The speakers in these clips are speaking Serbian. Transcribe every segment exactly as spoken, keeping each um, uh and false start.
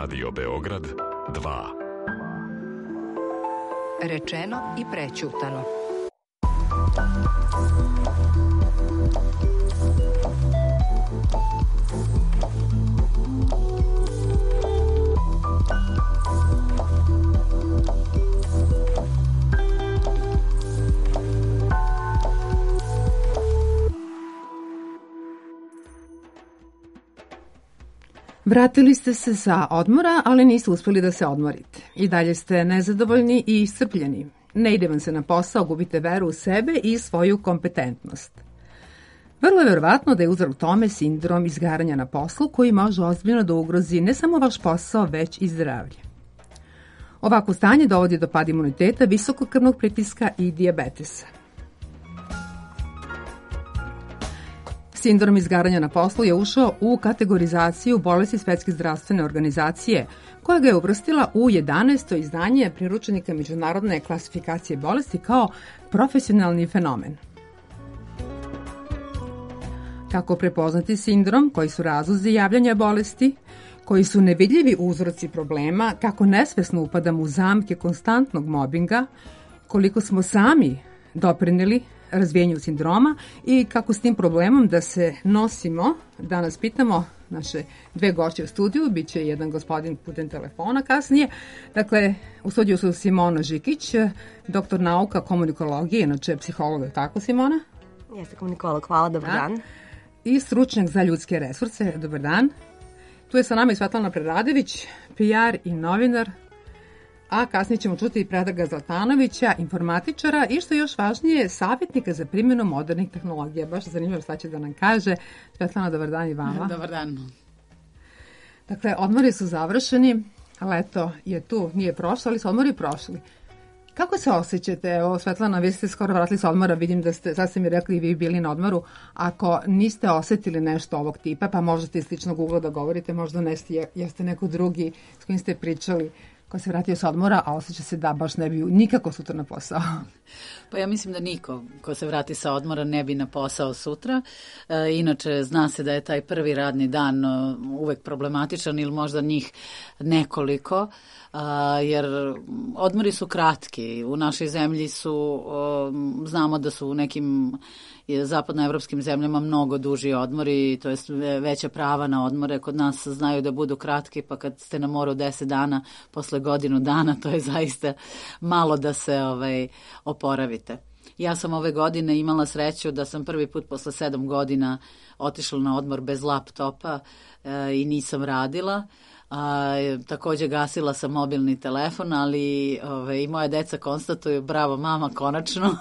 Radio Beograd dva. Rečeno i prećutano. Vratili ste se sa odmora, ali niste uspeli da se odmorite. I dalje ste nezadovoljni i iscrpljeni. Ne ide vam se na posao, gubite veru u sebe i svoju kompetentnost. Vrlo je verovatno da je uzrok tome sindrom izgaranja na poslu koji može ozbiljno da ugrozi ne samo vaš posao, već i zdravlje. Ovako stanje dovodi do pada imuniteta, visokog krvnog pritiska i dijabetesa. Sindrom izgaranja na poslu je ušao u kategorizaciju bolesti Svetske zdravstvene organizacije, koja ga je uvrstila u jedanaesto izdanje priručenika međunarodne klasifikacije bolesti kao profesionalni fenomen. Kako prepoznati sindrom, koji su razlozi javljanja bolesti, koji su nevidljivi uzroci problema, kako nesvesno upadamo u zamke konstantnog mobinga, koliko smo sami doprineli razvijenju sindroma i kako s tim problemom da se nosimo. Danas pitamo naše dve gošće u studiju, bit će jedan gospodin putem telefona kasnije. Dakle, u studiju su Simona Žikić, doktor nauka komunikologije, inače psiholog, tako Simona? Jeste komunikolog, hvala, dobar dan. I stručnjak za ljudske resurse, dobar dan. Tu je sa nama i Svetlana Preradović, P R i novinar, a kasnije ćemo čuti i Predraga Zlatanovića, informatičara i što je još važnije, savjetnika za primjenu modernih tehnologija. Baš zanimljivo šta će da nam kaže. Svetlana, dobar dan i vama. Dobar dan. Dakle, odmori su završeni, leto je tu, nije prošlo, ali su odmori prošli. Kako se osjećate? Evo, Svetlana, vi ste skoro vratili sa odmora, vidim da ste, sad ste mi rekli, vi bili na odmoru. Ako niste osetili nešto ovog tipa, pa možete iz sličnog ugla da govorite, možda neste, jeste neko drugi s kojim ste pričali, ko se vratio sa odmora, a osjeća se da baš ne bi nikako sutra na posao. Pa ja mislim da niko ko se vrati sa odmora ne bi na posao sutra. E, inače, zna se da je taj prvi radni dan uvek problematičan ili možda njih nekoliko, a, jer odmori su kratki. U našoj zemlji su, o, znamo da su u nekim zapadnoevropskim zemljama mnogo duži odmori, to jest veća prava na odmore. Kod nas znaju da budu kratki, pa kad ste na moru deset dana, posle godinu dana, to je zaista malo da se ovaj, oporavite. Ja sam ove godine imala sreću da sam prvi put posle sedam godina otišla na odmor bez laptopa e, i nisam radila. A, takođe gasila sam mobilni telefon, ali ove, i moja deca konstatuju bravo mama, konačno.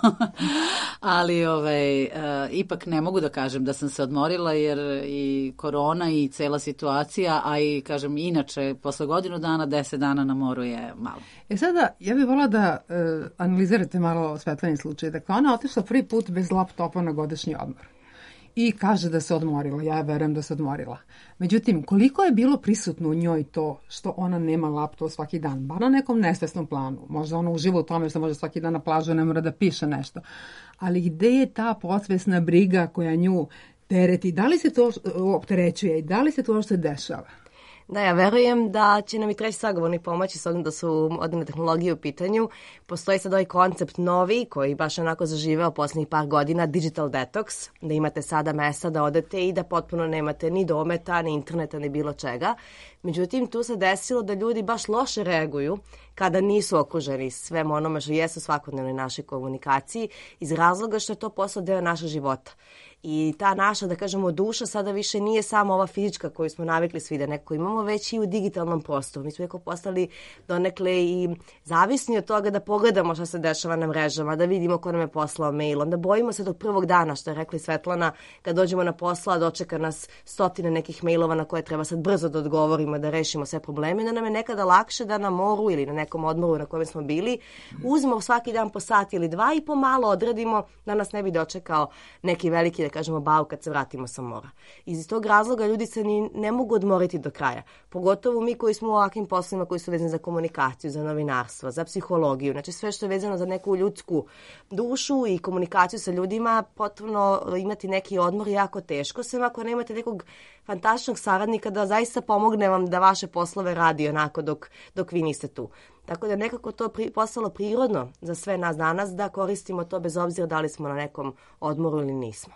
ali ove, e, ipak ne mogu da kažem da sam se odmorila, jer i korona i cela situacija, a i kažem inače posle godinu dana, deset dana na moru je malo. E sada, ja bih volila da e, analizirate malo Svetlani slučaj. Dakle, ona otišla prvi put bez laptopa na godišnji odmor. I kaže da se odmorila, ja verujem da se odmorila. Međutim, koliko je bilo prisutno u njoj to što ona nema laptop svaki dan, bar na nekom nesvesnom planu. Možda ona uživa u tome što može svaki dan na plažu, ne mora da piše nešto. Ali gde je ta podsvesna briga koja nju tereti? Da li se to opterećuje i da li se to što se dešava? Da, ja verujem da će nam i treći sagovornik pomoći s obzirom da su moderne tehnologije u pitanju. Postoji sad ovaj koncept novi koji baš onako zaživeo poslednjih par godina, digital detox, da imate sada mesta da odete i da potpuno nemate ni dometa, ni interneta, ni bilo čega. Međutim, tu se desilo da ljudi baš loše reaguju kada nisu okruženi svem onome što jesu svakodnevnoj našoj komunikaciji iz razloga što je to postao deo našeg života. I ta naša, da kažemo, duša sada više nije samo ova fizička koju smo navikli svi da neko imamo, već i u digitalnom prostoru. Mi smo neko postali donekle i zavisni od toga da pogledamo šta se dešava na mrežama, da vidimo ko nam je poslao mail. Onda bojimo se tog prvog dana, što je rekla Svetlana, kad dođemo na posla, dočeka nas stotine nekih mailova na koje treba sad brzo da odgovorimo, da rešimo sve probleme, da nam je nekada lakše da na moru ili na nekom odmoru na kojem smo bili, uzmemo svaki dan po sat ili dva i pomalo odradimo da nas ne bi dočekao neki veliki da kažemo, bau kad se vratimo sa mora. Iz tog razloga ljudi se ni ne mogu odmoriti do kraja. Pogotovo mi koji smo u ovakvim poslovima koji su vezani za komunikaciju, za novinarstvo, za psihologiju, znači sve što je vezano za neku ljudsku dušu i komunikaciju sa ljudima, potrebno imati neki odmor jako teško, sem ako nemate nekog fantastičnog saradnika da zaista pomogne vam da vaše poslove radi onako dok, dok vi niste tu. Tako da nekako to pri, postalo prirodno za sve nas danas da koristimo to bez obzira da li smo na nekom odmoru ili nismo.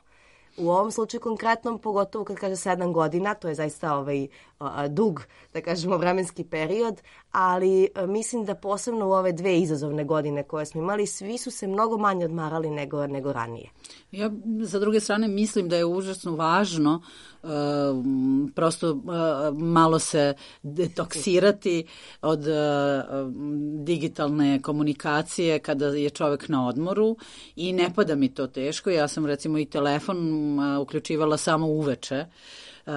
U ovom slučaju konkretnom, pogotovo kad kaže sedam godina, to je zaista ovaj, a, dug, da kažemo, vremenski period, ali a, mislim da posebno u ove dve izazovne godine koje smo imali, svi su se mnogo manje odmarali nego, nego ranije. Ja, za druge strane, mislim da je užasno važno uh, prosto uh, malo se detoksirati od uh, digitalne komunikacije kada je čovek na odmoru i ne pada mi to teško. Ja sam recimo i telefon uh, uključivala samo uveče. Uh,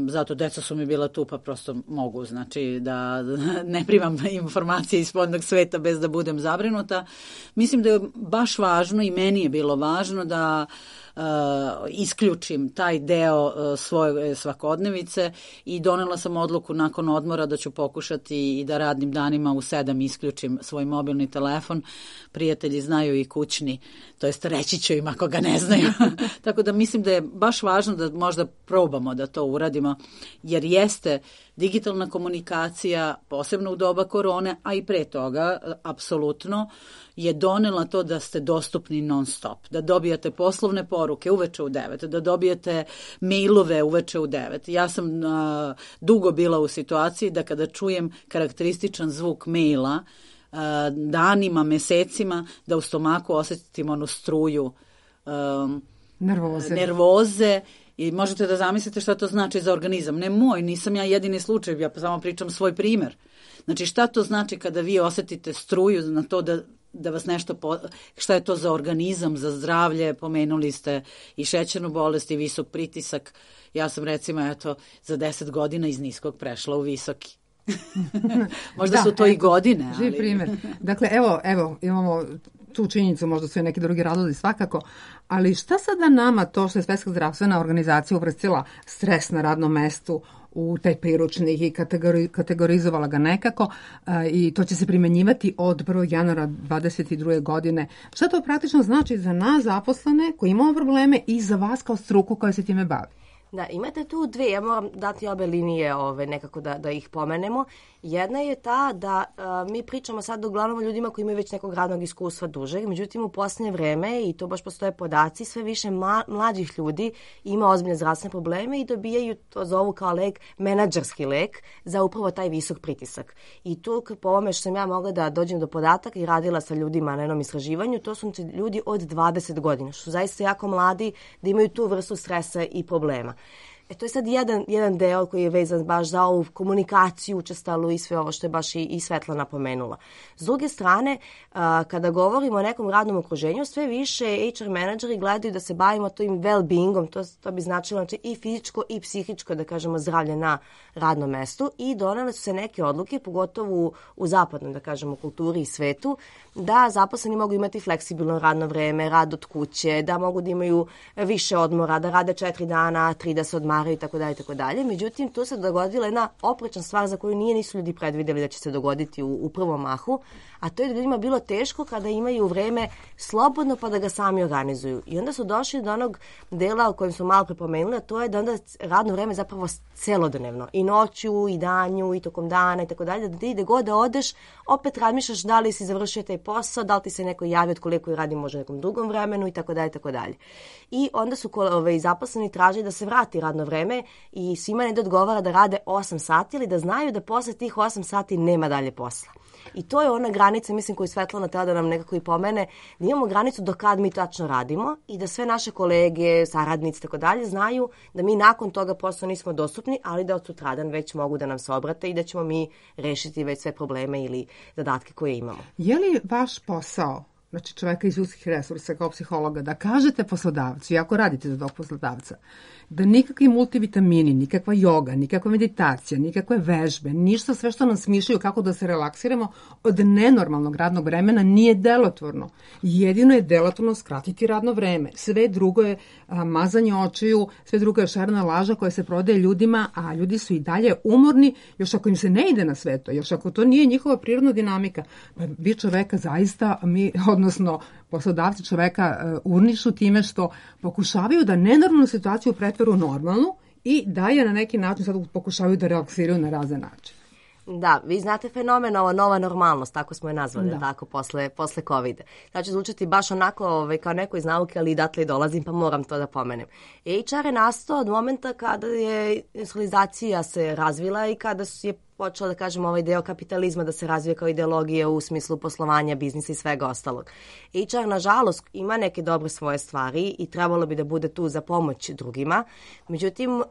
zato deca su mi bila tu pa prosto mogu, znači da ne primam informacije iz spodnog sveta bez da budem zabrinuta. Mislim da je baš važno i meni je bilo važno da uh, isključim taj deo uh, svoje svakodnevice i donela sam odluku nakon odmora da ću pokušati i da radnim danima u sedam isključim svoj mobilni telefon. Prijatelji znaju i kućni, to jest reći ću im ako ga ne znaju. Tako da mislim da je baš važno da možda probamo da to uradimo, jer jeste digitalna komunikacija, posebno u doba korone, a i pre toga, apsolutno, je donela to da ste dostupni non stop, da dobijate poslovne poruke uveče u devet, da dobijete mailove uveče u devet. Ja sam uh, dugo bila u situaciji da kada čujem karakterističan zvuk maila, uh, danima, mesecima, da u stomaku osetim onu struju um, nervoze. nervoze i možete da zamislite šta to znači za organizam. Ne moj, nisam ja jedini slučaj, ja samo pričam svoj primer. Znači šta to znači kada vi osetite struju na to da, da vas nešto, po, šta je to za organizam, za zdravlje, pomenuli ste i šećernu bolest i visok pritisak. Ja sam recimo eto za deset godina iz niskog prešla u visoki. Možda da, su to eto, i godine. Ali... Živ primjer. Dakle, evo, evo, imamo tu činjenicu, možda su i neki drugi razlozi svakako, ali šta sada nama to što je Svetska zdravstvena organizacija uvrstila stres na radnom mestu u taj priručnik i kategori, kategorizovala ga nekako uh, i to će se primenjivati od prvog januara dvadeset druge godine. Šta to praktično znači za nas zaposlene koji imamo probleme i za vas kao struku koja se time bavi? Da, imate tu dve, ja moram dati obe linije ove, nekako da, da ih pomenemo. Jedna je ta da a, mi pričamo sad uglavnom o ljudima koji imaju već nekog radnog iskustva dužeg, međutim u posljednje vreme, i to baš postoje podaci, sve više ma, mlađih ljudi ima ozbiljne zdravstvene probleme i dobijaju, to zovu kao lek, menadžerski lek za upravo taj visok pritisak. I tu po ovome što sam ja mogla da dođem do podataka i radila sa ljudima na jednom istraživanju, to su ljudi od dvadeset godina, što su zaista jako mladi da imaju tu vrstu stresa i problema. E, to je sad jedan, jedan deo koji je vezan baš za ovu komunikaciju učestalu i sve ovo što je baš i, i Svetlana napomenula. S druge strane, a, kada govorimo o nekom radnom okruženju, sve više H R menadžeri gledaju da se bavimo tim well-beingom, to, to bi značilo znači, i fizičko i psihičko, da kažemo, zdravlje na radnom mestu i donele su se neke odluke, pogotovo u, u zapadnom, da kažemo, kulturi i svetu, da zaposleni mogu imati fleksibilno radno vreme, rad od kuće, da mogu da imaju više odmora, da rade četiri dana, tri da se odmaraju i tako dalje i tako dalje. Međutim, tu se dogodila jedna oprečna stvar za koju nije nisu ljudi predvideli da će se dogoditi u, u prvom mahu, a to je da ljudima bilo teško kada imaju vreme slobodno pa da ga sami organizuju. I onda su došli do onog dela o kojem smo malo prepomenuli, a to je da onda radno vreme zapravo celodnevno. I noću, i danju, i tokom dana i tako dalje, da ti gde god da odeš, opet razmišljaš da li si završio taj posao, da li ti se neko javi od koliko i radi možda nekom drugom vremenu i tako dalje i tako dalje. I onda su ove, zaposleni tražili da se vrati radno vreme i svima ne da odgovara da rade osam sati ili da znaju da posle tih osam sati nema dalje posla. I to je ona granica, mislim, koju Svetlana treba da nam nekako i pomene, da imamo granicu do kad mi tačno radimo i da sve naše kolege, saradnici i tako dalje znaju da mi nakon toga posla nismo dostupni, ali da od sutradan već mogu da nam se obrate i da ćemo mi rešiti već sve probleme ili zadatke koje imamo. Je li vaš posao znači čoveka iz ljudskih resursa kao psihologa, da kažete poslodavcu, i ako radite za tog poslodavca, da nikakvi multivitamini, nikakva joga, nikakva meditacija, nikakve vežbe, ništa, sve što nam smišljaju kako da se relaksiramo od nenormalnog radnog vremena nije delotvorno. Jedino je delotvorno skratiti radno vreme. Sve drugo je a, mazanje očiju, sve drugo je šarena laža koja se prodaje ljudima, a ljudi su i dalje umorni, još ako im se ne ide na sve to, još ako to nije njihova prirodna dinamika, pa vi čoveka zaista, mi, odnosno poslodavci čoveka uh, urnišu time što pokušavaju da nenormalnu situaciju pretveru u normalnu i da je na neki način sad pokušavaju da relaksiraju na razne načine. Da, vi znate fenomen, ova nova normalnost, tako smo je nazvali, da. tako, posle, posle covida. Znači, zvučati baš onako ovaj, kao neko iz nauke, ali i datle dolazim, pa moram to da pomenem. H R je nastao od momenta kada je industrializacija se razvila i kada je počeo, da kažem, ovaj deo kapitalizma da se razvije kao ideologija u smislu poslovanja, biznisa i svega ostalog. H R, nažalost, ima neke dobre svoje stvari i trebalo bi da bude tu za pomoć drugima. Međutim, um,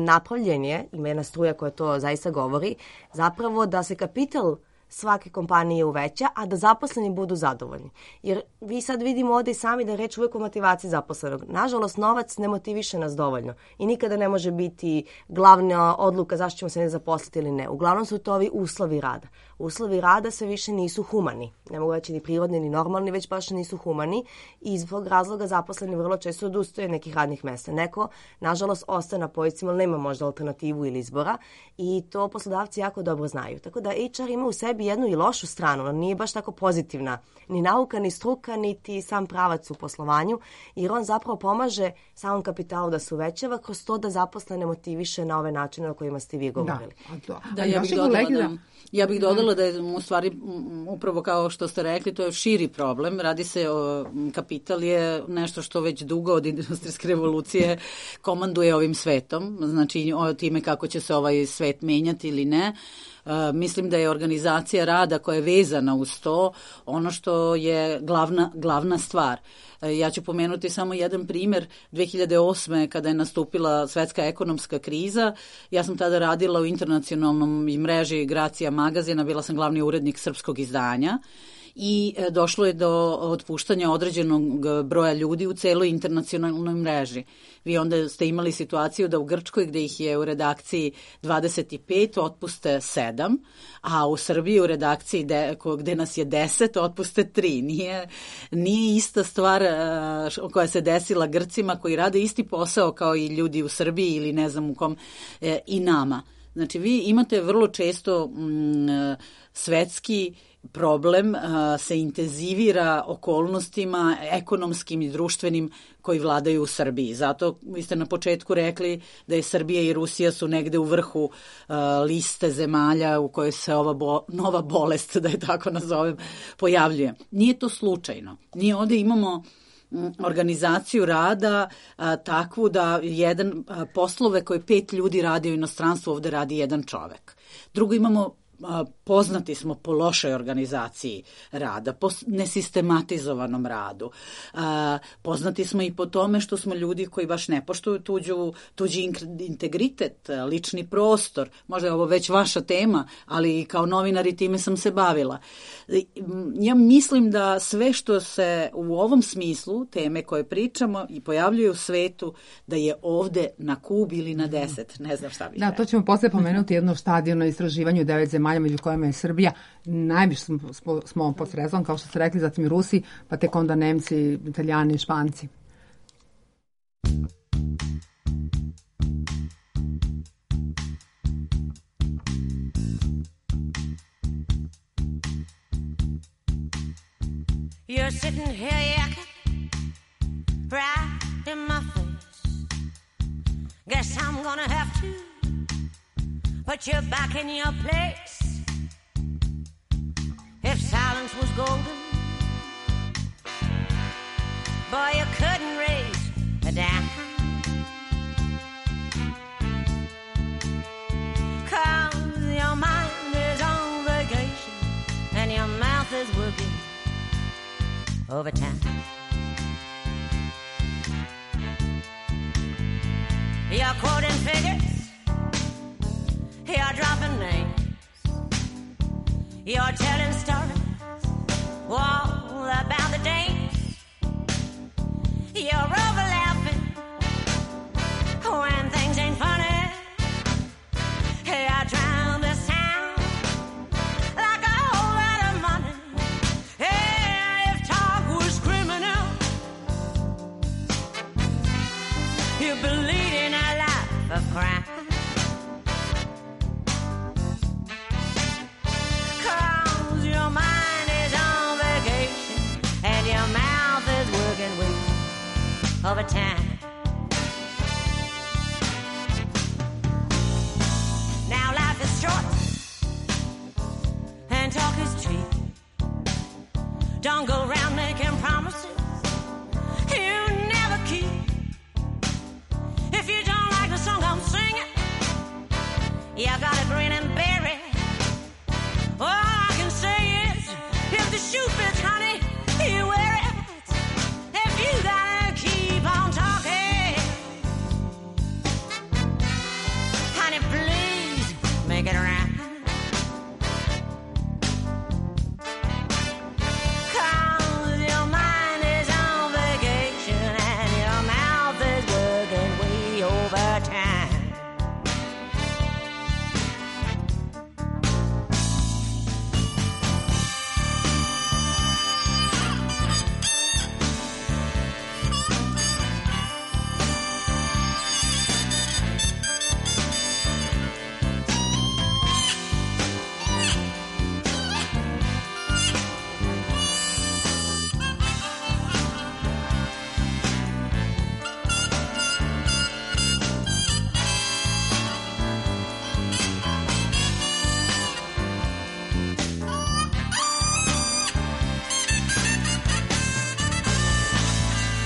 napravljen je, ima jedna struja koja to zaista govori, zapravo da se kapital svake kompanije uveća, a da zaposleni budu zadovoljni. Jer vi sad vidimo ovde i sami da je reč uvek o motivaciji zaposlenog. Nažalost, novac ne motiviše nas dovoljno i nikada ne može biti glavna odluka zašto ćemo se ne zaposliti ili ne. Uglavnom su to ovi uslovi rada. Uslovi rada sve više nisu humani. Ne mogu reći ni prirodni, ni normalni, već baš nisu humani i iz tog razloga zaposleni vrlo često odustaju nekih radnih mesta. Neko, nažalost, ostaje na pozicima, ali nema možda alternativu ili izbora i to poslodavci jako dobro znaju. Tako da H R ima u sebi jednu i lošu stranu, ona nije baš tako pozitivna. Ni nauka, ni struka, niti sam pravac u poslovanju, jer on zapravo pomaže samom kapitalu da se uvećava kroz to da zaposlene motiviše na ove načine o kojima ste vi govorili. Da, da. da ja, bih dodala, da, ja bih dodala da je u stvari upravo kao što ste rekli, to je širi problem. Radi se o, kapital je nešto što već dugo od industrijske revolucije komanduje ovim svetom, znači o time kako će se ovaj svet menjati ili ne. Uh, mislim da je organizacija rada koja je vezana uz to ono što je glavna, glavna stvar. Uh, ja ću pomenuti samo jedan primjer. dve hiljade osme kada je nastupila svetska ekonomska kriza, ja sam tada radila u internacionalnom mreži Gracija magazina, bila sam glavni urednik srpskog izdanja i došlo je do otpuštanja određenog broja ljudi u celoj internacionalnoj mreži. Vi onda ste imali situaciju da u Grčkoj, gde ih je u redakciji dvadeset pet, otpuste sedam, a u Srbiji u redakciji de, gde nas je deset, otpuste tri. Nije, nije ista stvar uh, koja se desila Grcima koji rade isti posao kao i ljudi u Srbiji ili ne znam u kom e, i nama. Znači vi imate vrlo često mm, svetski problem uh, se intenzivira okolnostima ekonomskim i društvenim koji vladaju u Srbiji. Zato vi ste na početku rekli da je Srbija i Rusija su negde u vrhu uh, liste zemalja u kojoj se ova bo, nova bolest, da je tako nazovem, pojavljuje. Nije to slučajno. Nije ovde imamo organizaciju rada a, takvu da jedan a, poslove koje pet ljudi radi u inostranstvu ovde radi jedan čovek. Drugo, imamo a, poznati smo po lošoj organizaciji rada, po nesistematizovanom radu. A, poznati smo i po tome što smo ljudi koji baš ne poštuju tuđu, tuđi integritet, lični prostor. Možda je ovo već vaša tema, ali kao novinar i time sam se bavila. Ja mislim da sve što se u ovom smislu, teme koje pričamo i pojavljuje u svetu, da je ovde na Kubi ili na deset. Ne znam šta bih. Da, to ćemo posle pomenuti jedno štadijono istraživanju devet zemalja među kojima je Srbija. Najviše smo, smo, smo pod srezom, kao što ste rekli, zatim i Rusi, pa tek onda Nemci, Italijani i Španci. You're sitting here yakking right in my face. Guess I'm gonna have to put you back in your place. If silence was golden, boy, you couldn't raise a dime. 'Cause your mind is on vacation and your mouth is working overtime. You're quoting figures, you're dropping names, you're telling stories all about the day crime. Cause your mind is on vacation and your mouth is working with overtime. Now life is short and talk is cheap. Don't go around making promises you never keep. If you don't like the song I'm singing, you gotta grin and bear it. All I can say is, if the shoe fits, honey, you wear it. If you gotta keep on talking, honey, please make it right.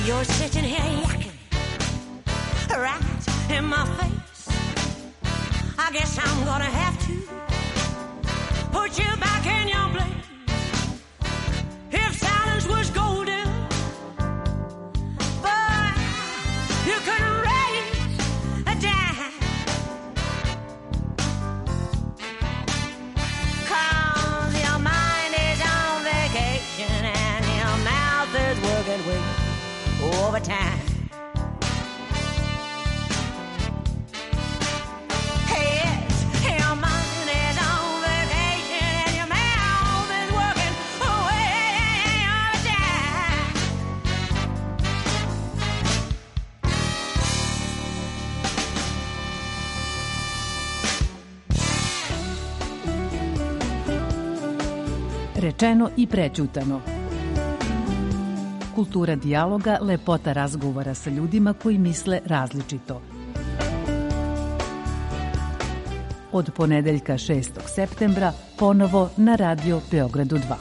You're sitting here yakking right in my face. I guess I'm gonna have to put you back in your place. If silence was golden, but you couldn't raise a dime. Cause your mind is on vacation and your mouth is working with overtime. Yes, your mind is on vacation and your mouth is working away overtime. Rečeno i prećutano. Kultura dijaloga, lepota razgovora sa ljudima koji misle različito. Od ponedeljka šestog septembra ponovo na Radio Beogradu dva.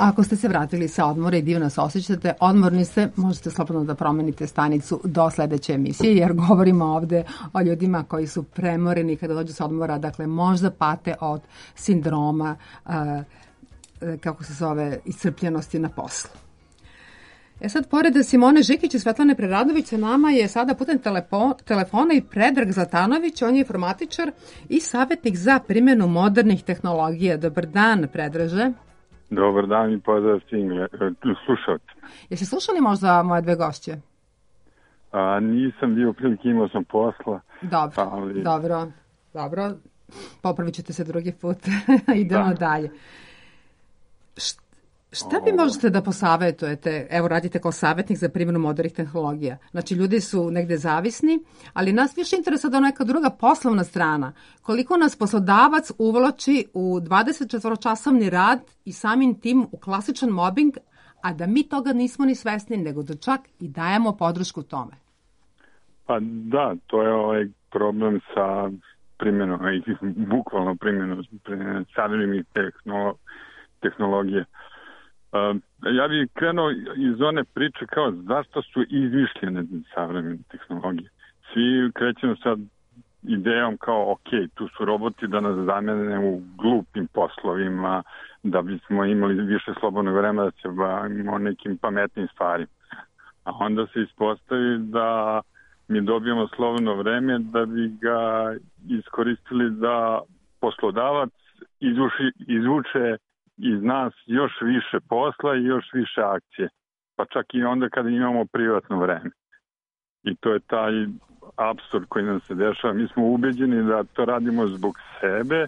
Ako ste se vratili sa odmora i divno se osjećate, odmorni ste, možete slobodno da promenite stanicu do sledeće emisije, jer govorimo ovde o ljudima koji su premoreni kada dođu sa odmora, dakle možda pate od sindroma, uh, kako se zove, iscrpljenosti na poslu. E sad, pored Simone Žikić i Svetlane Preradović, sa nama je sada putem telepo, telefona i Predrag Zlatanović, on je informatičar i savjetnik za primjenu modernih tehnologija. Dobar dan, Predraže. Dobar dan i pozdrav svim slušalcima. Jeste slušali možda moje dve gošće? A, nisam bio prilike, imao sam posla. Dobro, ali... dobro, dobro. Popravit ćete se drugi put. Idemo da. dalje. Št, šta vi možete da posavetujete? Evo, radite kao savjetnik za primjenu modernih tehnologija. Znači, ljudi su negde zavisni, ali nas više interesuje da neka druga poslovna strana. Koliko nas poslodavac uvlači u dvadesetčetvoročasovni rad i samim tim u klasičan mobbing, a da mi toga nismo ni svesni, nego da čak i dajemo podršku tome. Pa da, to je ovaj problem sa primjenom, bukvalno primjenom savremenih tehnolo, tehnologije. Uh, ja bih krenuo iz one priče kao zašto su izmišljene savremene tehnologije. Svi krećemo sad idejom kao ok, tu su roboti da nas zamene u glupim poslovima, da bismo imali više slobodnog vremena da se bavimo nekim pametnim stvarima. A onda se ispostavi da mi dobijemo slobodno vreme da bi ga iskoristili da poslodavac izvuši, izvuče iz nas još više posla i još više akcije. Pa čak i onda kada imamo privatno vreme. I to je taj apsurd koji nam se dešava. Mi smo ubeđeni da to radimo zbog sebe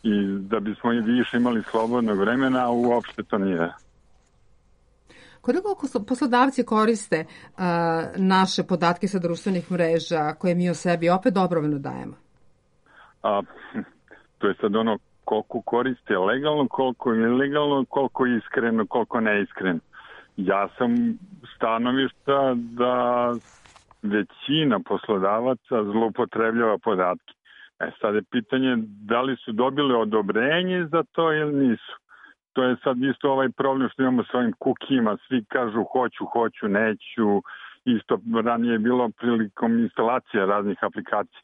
i da bismo i više imali slobodnog vremena, a uopšte to nije. Koliko poslodavci koriste uh, naše podatke sa društvenih mreža koje mi o sebi opet dobrovoljno dajemo? A, to je sad ono koliko koriste legalno, koliko ilegalno, koliko iskreno, koliko neiskreno. Ja sam stanovišta da većina poslodavaca zloupotrebljava podatke. E sad je pitanje da li su dobili odobrenje za to ili nisu. To je sad isto ovaj problem što imamo s ovim kukijima. Svi kažu hoću, hoću, neću. Isto ranije je bilo prilikom instalacija raznih aplikacija.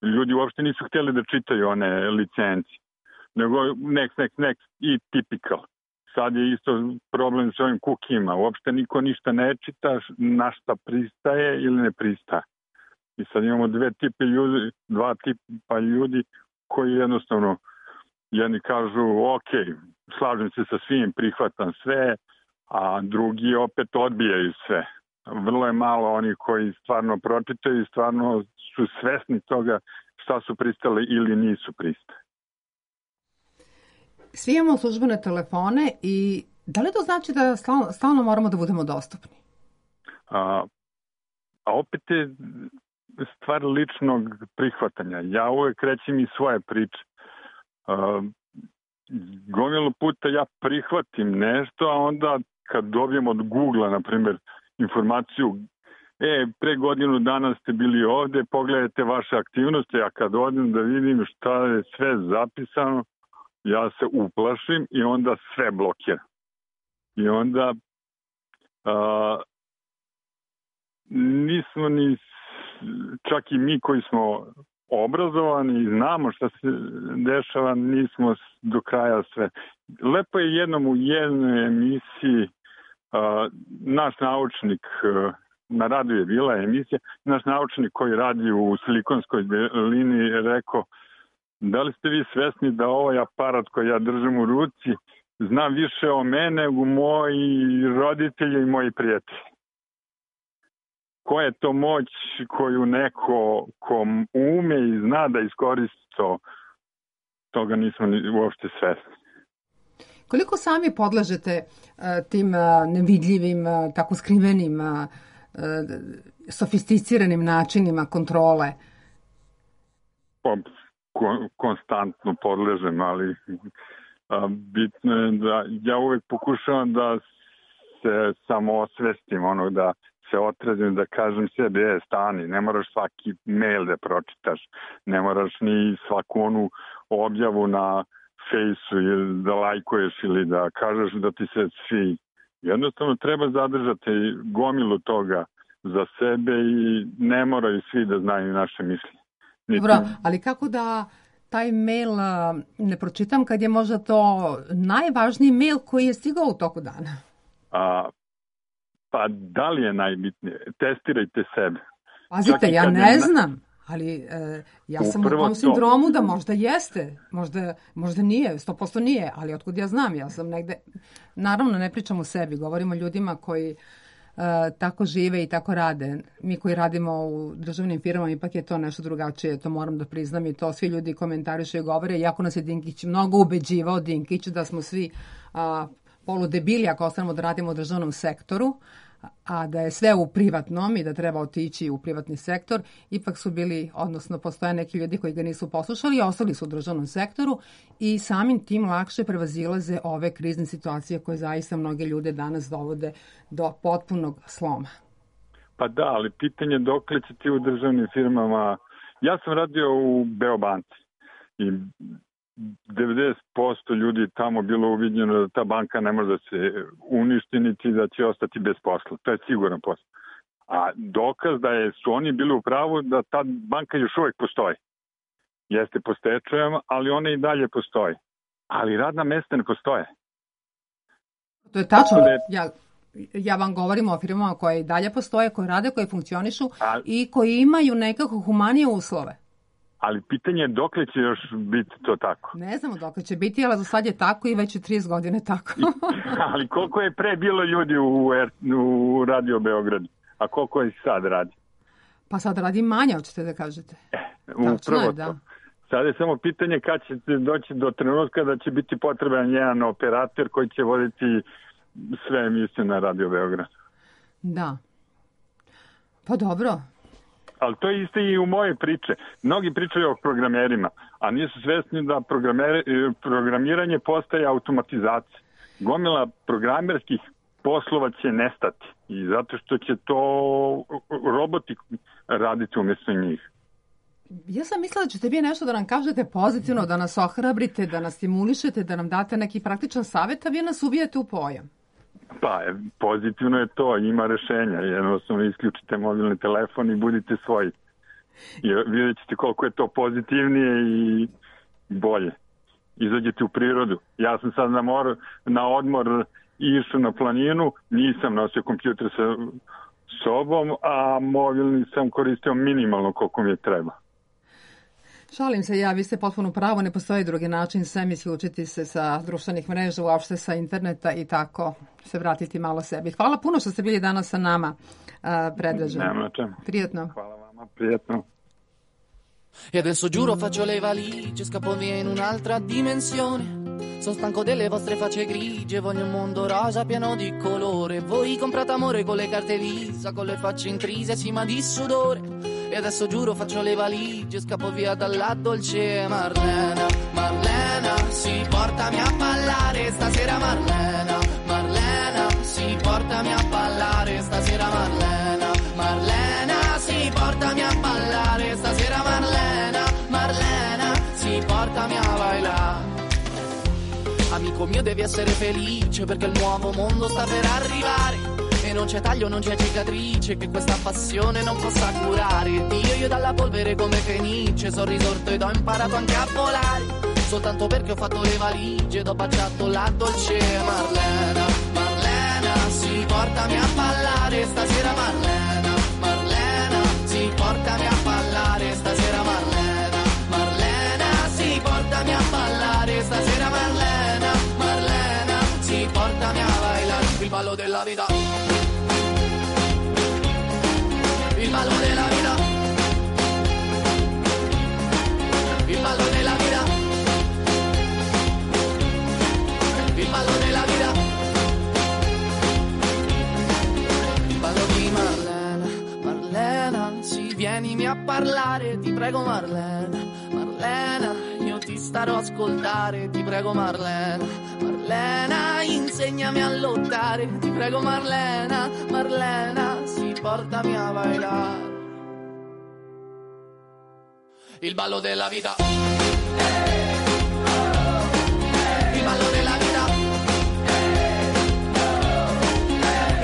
Ljudi uopšte nisu htjeli da čitaju one licencije. Nego next, next, next i typical. Sad je isto problem s ovim kukijima. Uopšte niko ništa ne čita na šta pristaje ili ne pristaje. I sad imamo dve tipe ljudi, dva tipa ljudi koji jednostavno jedni kažu ok, slažem se sa svim, prihvatam sve, a drugi opet odbijaju sve. Vrlo je malo oni koji stvarno pročitaju i stvarno su svesni toga šta su pristali ili nisu pristali. Svi imamo službene telefone i da li to znači da stalno, stalno moramo da budemo dostupni? A, a opet je stvar ličnog prihvatanja. Ja uvek rećem i svoje priče. Uh, gomilu puta ja prihvatim nešto, a onda kad dobijem od Google-a, na primjer, informaciju e, pre godinu dana ste bili ovde, pogledajte vaše aktivnosti, a kad odem da vidim šta je sve zapisano, ja se uplašim i onda sve blokiram. I onda uh, nismo ni čak i mi koji smo obrazovani i znamo šta se dešava, nismo do kraja sve. Lepo je jednom u jednoj emisiji uh, naš naučnik, uh, na radiju je bila emisija, naš naučnik koji radi u Silikonskoj dolini je rekao da li ste vi svesni da ovaj aparat koji ja držim u ruci zna više o mene nego moji roditelji i moji prijatelji. Koja je to moć koju neko ko ume i zna da iskoristi to, toga nismo uopšte svesni. Koliko sami podležete uh, tim uh, nevidljivim, uh, tako skrivenim, uh, sofisticiranim načinima kontrole? Pa, ko, konstantno podležem, ali a, bitno je da ja uvek pokušavam da se samo osvestim, ono da se otrezim, da kažem sebi, je, stani, ne moraš svaki mail da pročitaš, ne moraš ni svaku onu objavu na Fejsu ili da lajkuješ ili da kažeš da ti se svi. Jednostavno treba zadržati gomilu toga za sebe i ne moraju svi da znaju naše mišljenje. Niti... Dobro, ali kako da taj mail ne pročitam kad je možda to najvažniji mail koji je stigao u toku dana? A, pa da li je najbitnije? Testirajte sebe. Pazite, ja ne je... znam, ali e, ja sam Upravo u tom sindromu da možda jeste, možda, možda nije, sto posto nije, ali otkud ja znam, ja sam negde, naravno ne pričam o sebi, govorim o ljudima koji Uh, tako žive i tako rade. Mi koji radimo u državnim firmama ipak je to nešto drugačije, to moram da priznam i to svi ljudi komentarišu i govore, iako nas je Dinkić mnogo ubeđivao, Dinkić, da smo svi uh, poludebili ako ostanemo da radimo u državnom sektoru, a da je sve u privatnom i da treba otići u privatni sektor, ipak su bili, odnosno postoje neki ljudi koji ga nisu poslušali i ostali su u državnom sektoru i samim tim lakše prevazilaze ove krizne situacije koje zaista mnoge ljude danas dovode do potpunog sloma. Pa da, ali pitanje dokle će ti u državnim firmama... Ja sam radio u Beobanci i devedeset posto ljudi tamo bilo uviđeno da ta banka ne može da se uništi niti da će ostati bez posla. To je siguran posao. A dokaz da je, su oni bili u pravu da ta banka još uvek postoji. Jeste po stečajama, ali ona i dalje postoji. Ali radna mesta ne postoje. To je tačno. Ja, ja vam govorim o firmama koje i dalje postoje, koje rade, koje funkcionišu a... i koji imaju nekako humanije uslove. Ali pitanje je dokle će još biti to tako. Ne znamo dokle će biti, ali za sad je tako i već je trideset godine tako. Ali koliko je pre bilo ljudi u, u Radio Beogradu, a koliko je sad radi? Pa sad radi manje, hoćete da kažete? E, Tačno upravo je, to. da. Sada je samo pitanje kad ćete doći do trenutka da će biti potreban jedan operator koji će voditi sve emisije na Radio Beograd. Da. Pa dobro. Ali to je isto i u moje priče. Mnogi pričaju o programerima, a nisu svesni da programiranje postaje automatizacija. Gomila programerskih poslova će nestati i zato što će to roboti raditi umjesto njih. Ja sam mislila da ćete vi nešto da nam kažete pozitivno, da nas ohrabrite, da nas stimulišete, da nam date neki praktičan savjet, a vi nas uvijete u pojam. Pa, pozitivno je to, ima rešenja. Jednostavno isključite mobilni telefon i budite svoji. I vidjet ćete koliko je to pozitivnije i bolje. Izađete u prirodu. Ja sam sad na, mor, na odmor išao na planinu, nisam nosio kompjuter sa sobom, a mobilni sam koristio minimalno koliko mi je treba. Šalim se ja, vi ste potpuno pravo, ne postoji drugi način sem isključiti se sa društvenih mreža, uopšte sa interneta i tako se vratiti malo sebi. Hvala puno što ste bili danas sa nama, Predražen. Nema na čemu. Prijetno. Hvala vama, prijetno. E adesso giuro faccio le valigie, scappo via in un'altra dimensione. Sono stanco delle vostre facce grigie, voglio un mondo rosa pieno di colore. Voi comprate amore con le carte Visa, con le facce intrise, sì ma di sudore. E adesso giuro faccio le valigie, scappo via dalla dolce Marlena. Marlena, sì, portami a ballare stasera Marlena. Marlena, sì, portami a ballare stasera Marlena. Marlena, sì, portami a ballare stasera Marlena. Marlena, sì, portami a ballare. Amico mio devi essere felice perché il nuovo mondo sta per arrivare. E non c'è taglio, non c'è cicatrice che questa passione non possa curare. Dio, io dalla polvere come Fenice sono risorto ed ho imparato anche a volare. Soltanto perché ho fatto le valigie ed ho baciato la dolce Marlena. Marlena, sì, portami a ballare stasera Marlena. Marlena, sì, portami a ballare stasera Marlena. Marlena, sì, portami a ballare stasera Marlena. Marlena, sì, portami a ballare il ballo della vita. Il ballo della vita, il ballo della vita, il ballo della vita, il ballo di Marlena. Marlena, sì, vienimi a parlare, ti prego Marlena. Marlena, io ti starò a ascoltare, ti prego Marlena. Marlena, insegnami a lottare, ti prego Marlena. Marlena, sì, portami a bailar il ballo della vita. Il ballo della vita.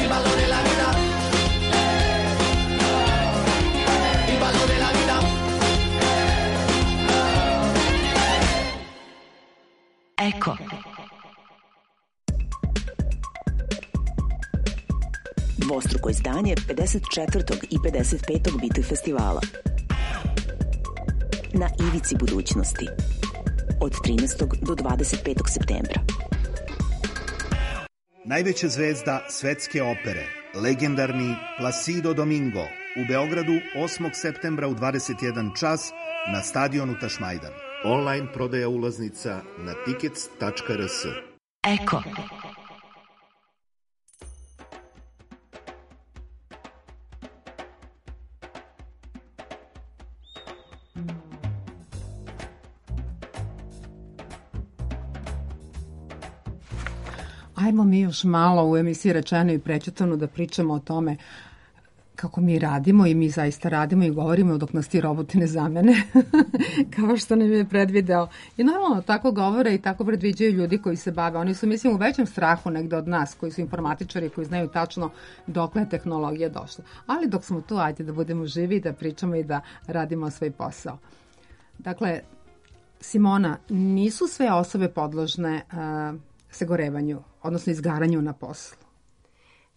Il ballo della vita. Il ballo della vita. Eko. Dvostruko izdanje pedeset četvrtog i pedeset petog Biti festivala. Na ivici budućnosti. Od trinaestog do dvadeset petog septembra. Najveća zvezda svetske opere, legendarni Placido Domingo, u Beogradu osmog septembra u dvadeset jedan čas na stadionu Tašmajdan. Online prodaja ulaznica na tickets tačka r s. Eko. Ajmo mi još malo u emisiji Rečeno i prećutano da pričamo o tome kako mi radimo i mi zaista radimo i govorimo dok nas ti roboti ne zamene, kao što nam je predvideo. I normalno tako govore i tako predviđaju ljudi koji se bave. Oni su, mislim, u većem strahu negde od nas, koji su informatičari, koji znaju tačno dokle je tehnologija došla. Ali dok smo tu, ajde da budemo živi, da pričamo i da radimo svoj posao. Dakle, Simona, nisu sve osobe podložne uh, sagorevanju, odnosno izgaranju na poslu.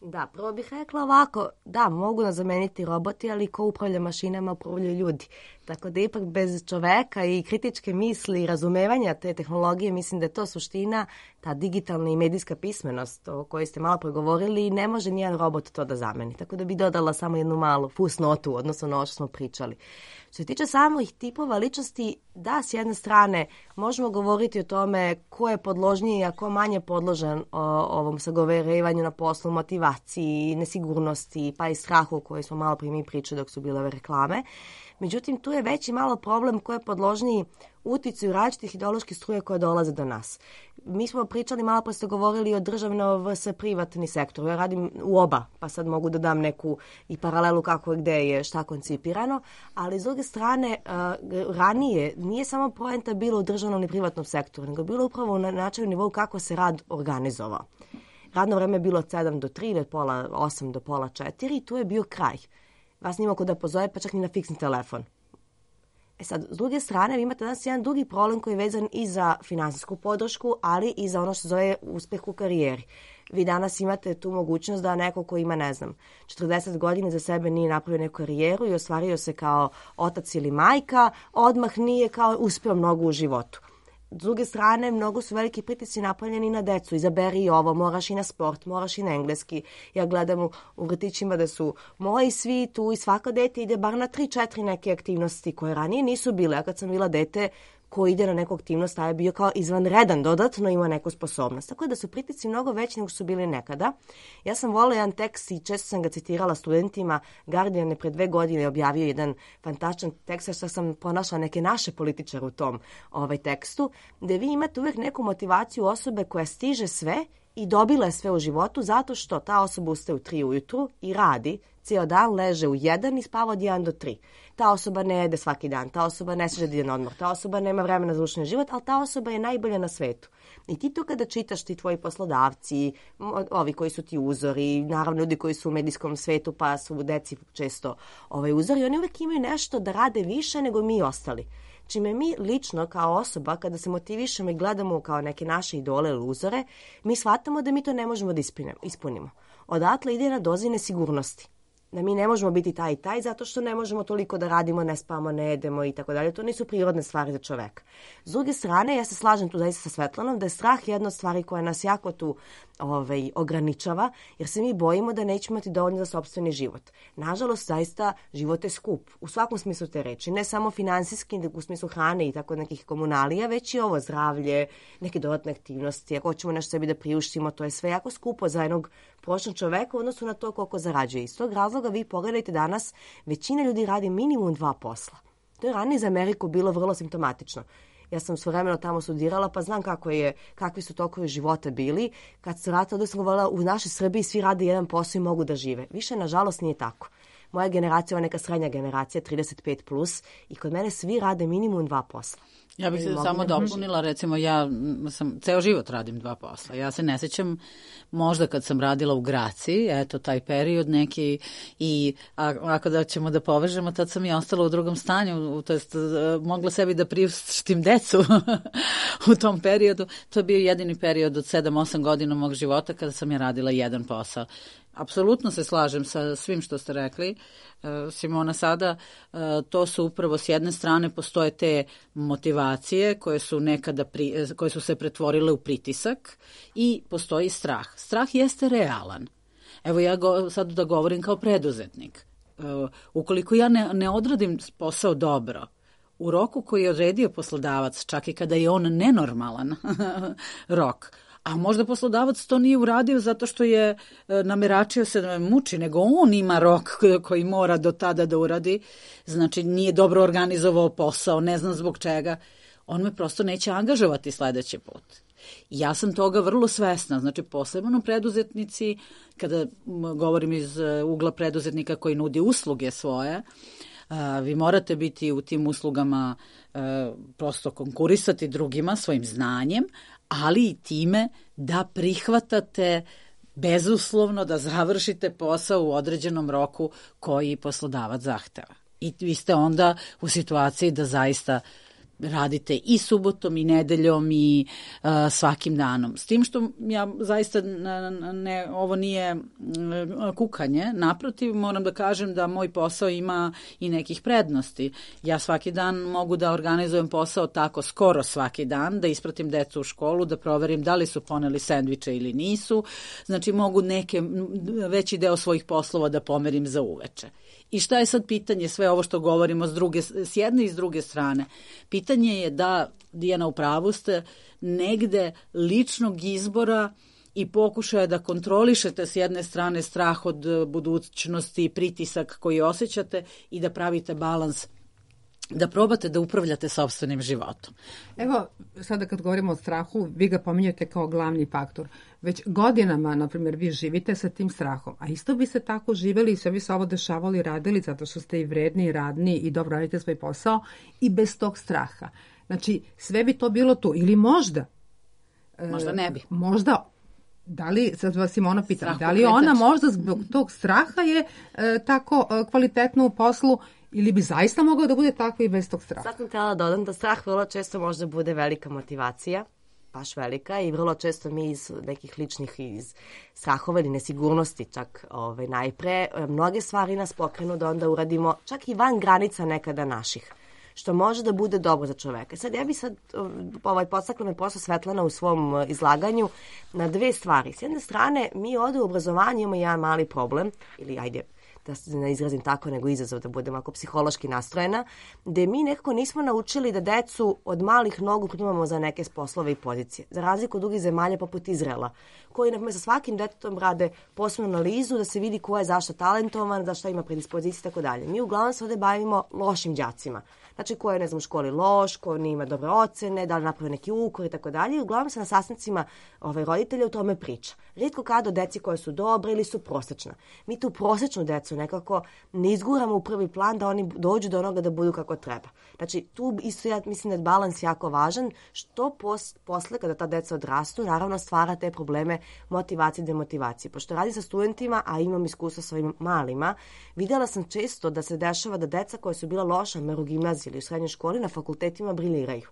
Da, prvo bih rekla ovako, da, mogu nas zameniti roboti, ali ko upravlja mašinama, upravljaju ljudi. Tako da ipak bez čoveka i kritičke misli i razumevanja te tehnologije, mislim da je to suština ta digitalna i medijska pismenost o kojoj ste malo pregovorili, ne može nijedan robot to da zameni. Tako da bi dodala samo jednu malu fusnotu, odnosno na ovo što smo pričali. Što se tiče samih tipova ličnosti, da, s jedne strane možemo govoriti o tome ko je podložniji, a ko manje podložan o, ovom sagoverivanju na poslu, motivaciji, nesigurnosti, pa i strahu o kojoj smo malo prije mi pričali dok su bile ove reklame. Međutim, tu je veći malo problem ko je podložniji uticaju različitih ideoloških struja koje dolaze do nas. Mi smo pričali, malo pa ste govorili o državno vs privatni sektor. Ja radim u oba, pa sad mogu da dam neku i paralelu kako je gde je šta koncipirano, ali s druge strane, uh, ranije nije samo poenta bilo u državnom i privatnom sektoru, nego bilo upravo na načinu nivou kako se rad organizovao. Radno vreme je bilo od sedam do tri, od pola osam do pola četiri i tu je bio kraj. Vas nima ko da pozove, pa čak ni na fiksni telefon. E sad, s druge strane, vi imate danas jedan drugi problem koji je vezan i za finansijsku podršku, ali i za ono što zove uspeh u karijeri. Vi danas imate tu mogućnost da neko ko ima, ne znam, četrdeset godina za sebe nije napravio neku karijeru i ostvario se kao otac ili majka, odmah nije kao uspeo mnogo u životu. S druge strane, mnogo su veliki pritisci napaljeni na decu. Izaberi ovo, moraš i na sport, moraš i na engleski. Ja gledam u, u vrtićima da su moji svi tu i svako dete ide bar na tri četiri neke aktivnosti koje ranije nisu bile. Ja kad sam bila dete, ko ide na neku aktivnost, taj je bio kao izvanredan, dodatno ima neku sposobnost. Tako da su pritisci mnogo veći nego su bili nekada. Ja sam volila jedan tekst i često sam ga citirala studentima. Guardian je pre dve godine objavio jedan fantastičan tekst, što sam pronašla neke naše političare u tom ovaj tekstu, gde vi imate uvek neku motivaciju osobe koja stiže sve i dobila je sve u životu zato što ta osoba ustaje u tri ujutru i radi, cijel dan leže u jedan i spava od jedan do tri. Ta osoba ne jede svaki dan, ta osoba ne može da ide na odmor, ta osoba nema vremena za učni život, ali ta osoba je najbolja na svetu. I ti to kada čitaš, ti tvoji poslodavci, ovi koji su ti uzori, naravno ljudi koji su u medijskom svetu pa su deci često ovaj uzori, oni uvek imaju nešto da rade više nego mi ostali. Čime mi lično kao osoba, kada se motivišemo i gledamo kao neke naše idole ili uzore, mi shvatamo da mi to ne možemo da ispunimo. Odatle ide na dozi nesigurnosti. Da mi ne možemo biti taj i taj zato što ne možemo toliko da radimo, ne spavamo, ne jedemo i tako dalje. To nisu prirodne stvari za čoveka. S druge strane, ja se slažem tu zaista sa Svetlanom da je strah jedna od stvari koja nas jako tu ovaj, ograničava, jer se mi bojimo da nećemo imati dovoljno za sopstveni život. Nažalost, zaista život je skup. U svakom smislu te reči. Ne samo finansijski, nego u smislu hrane i tako nekih komunalija, već i ovo zdravlje, neke dodatne aktivnosti. Ako hoćemo nešto sebi da priuštimo, to je sve jako skupo za jednog prosječnog čoveka u odnosu na to koliko zarađuje. Iz tog razloga vi pogledajte danas, većina ljudi radi minimum dva posla. To je ranije za Ameriku bilo vrlo simptomatično. Ja sam svojevremeno tamo studirala, pa znam kako je, kakvi su tokovi života bili. Kad se vratila, da sam govorila, u našoj Srbiji svi rade jedan posao i mogu da žive. Više, nažalost, nije tako. Moja generacija, ova neka srednja generacija, trideset pet plus, i kod mene svi rade minimum dva posla. Ja bih se samo dopunila, recimo ja sam, ceo život radim dva posla. Ja se ne sećam možda kad sam radila u Graciji, eto taj period neki i a, ako da ćemo da povežemo, tad sam i ostala u drugom stanju, to jest mogla sebi da priuštim decu u tom periodu. To je bio jedini period od sedam osam godina mog života kada sam ja radila jedan posao. Apsolutno se slažem sa svim što ste rekli, Simona, sada. To su upravo s jedne strane postoje te motivacije koje su nekada pri, koje su se pretvorile u pritisak i postoji strah. Strah jeste realan. Evo ja go, sad da govorim kao preduzetnik. Ukoliko ja ne, ne odradim posao dobro, u roku koji je odredio poslodavac, čak i kada je on nenormalan rok, a možda poslodavac to nije uradio zato što je nameračio se da me muči, nego on ima rok koji mora do tada da uradi, znači nije dobro organizovao posao, ne znam zbog čega, on me prosto neće angažovati sledeći put. Ja sam toga vrlo svesna, znači posebno preduzetnici, kada govorim iz ugla preduzetnika koji nudi usluge svoje, vi morate biti u tim uslugama prosto konkurisati drugima svojim znanjem, ali i time da prihvatate bezuslovno da završite posao u određenom roku koji poslodavac zahteva. I vi ste onda u situaciji da zaista radite i subotom i nedeljom i uh, svakim danom. S tim što ja zaista ne, ovo nije kukanje, naprotiv moram da kažem da moj posao ima i nekih prednosti. Ja svaki dan mogu da organizujem posao tako skoro svaki dan, da ispratim decu u školu, da proverim da li su poneli sendviče ili nisu. Znači mogu neke veći deo svojih poslova da pomerim za uveče. I šta je sad pitanje, sve ovo što govorimo s, druge, s jedne i s druge strane? Pitanje je da, Dijana, u pravu ste, negde ličnog izbora i pokušaja da kontrolišete s jedne strane strah od budućnosti, pritisak koji osjećate i da pravite balans, da probate da upravljate sopstvenim životom. Evo, sada kad govorimo o strahu, vi ga pominjete kao glavni faktor. Već godinama, na primjer, vi živite sa tim strahom, a isto bi se tako živeli i sve bi se ovo dešavali i radili zato što ste i vredni i radni i dobro radite svoj posao i bez tog straha. Znači, sve bi to bilo tu. Ili možda... Možda ne bi. E, možda... Da li, sad vas Simona pitam, da li ona možda zbog tog straha je e, tako e, kvalitetno u poslu ili bi zaista mogao da bude tako i bez tog straha? Sad sam htjela da dodam da strah vrlo često možda bude velika motivacija, baš velika, i vrlo često mi iz nekih ličnih iz strahova ili nesigurnosti čak ovaj, najpre, mnoge stvari nas pokrenu da onda uradimo čak i van granica nekada naših, što može da bude dobro za čoveka. Sad ja bi sad ovaj, podstakla me posle Svetlana u svom izlaganju na dve stvari. S jedne strane, mi ovde u obrazovanju imamo jedan mali problem, ili ajde, da se ne izrazim tako, nego izazov da budem ako psihološki nastrojena, gde mi nekako nismo naučili da decu od malih nogu primamo za neke poslove i pozicije. Za razliku od drugih zemalja poput Izraela, koji na sa svakim detetom rade posebnu analizu da se vidi ko je zašto talentovan, za šta ima predispozicije i tako dalje. Mi uglavnom se ovde bavimo lošim đacima. Znači, ko je, ne znam, u školi loš, ko nima dobre ocene, da li napravi neki ukor i tako dalje. I uglavnom se na sastancima ovaj, roditelja o tome priča. Rijetko kada o deci koje su dobre ili su prosečna. Mi tu prosečnu decu nekako ne izguramo u prvi plan da oni dođu do onoga da budu kako treba. Znači, tu isto ja mislim da je balans jako važan, što pos, posle kada ta deca odrastu, naravno stvara te probleme motivacije i demotivacije. Pošto radim sa studentima, a imam iskustva sa ovim malima, vidjela sam često da se dešava da deca koja su bila loša u gimnaziji ili u srednjoj školi na fakultetima briljiraju.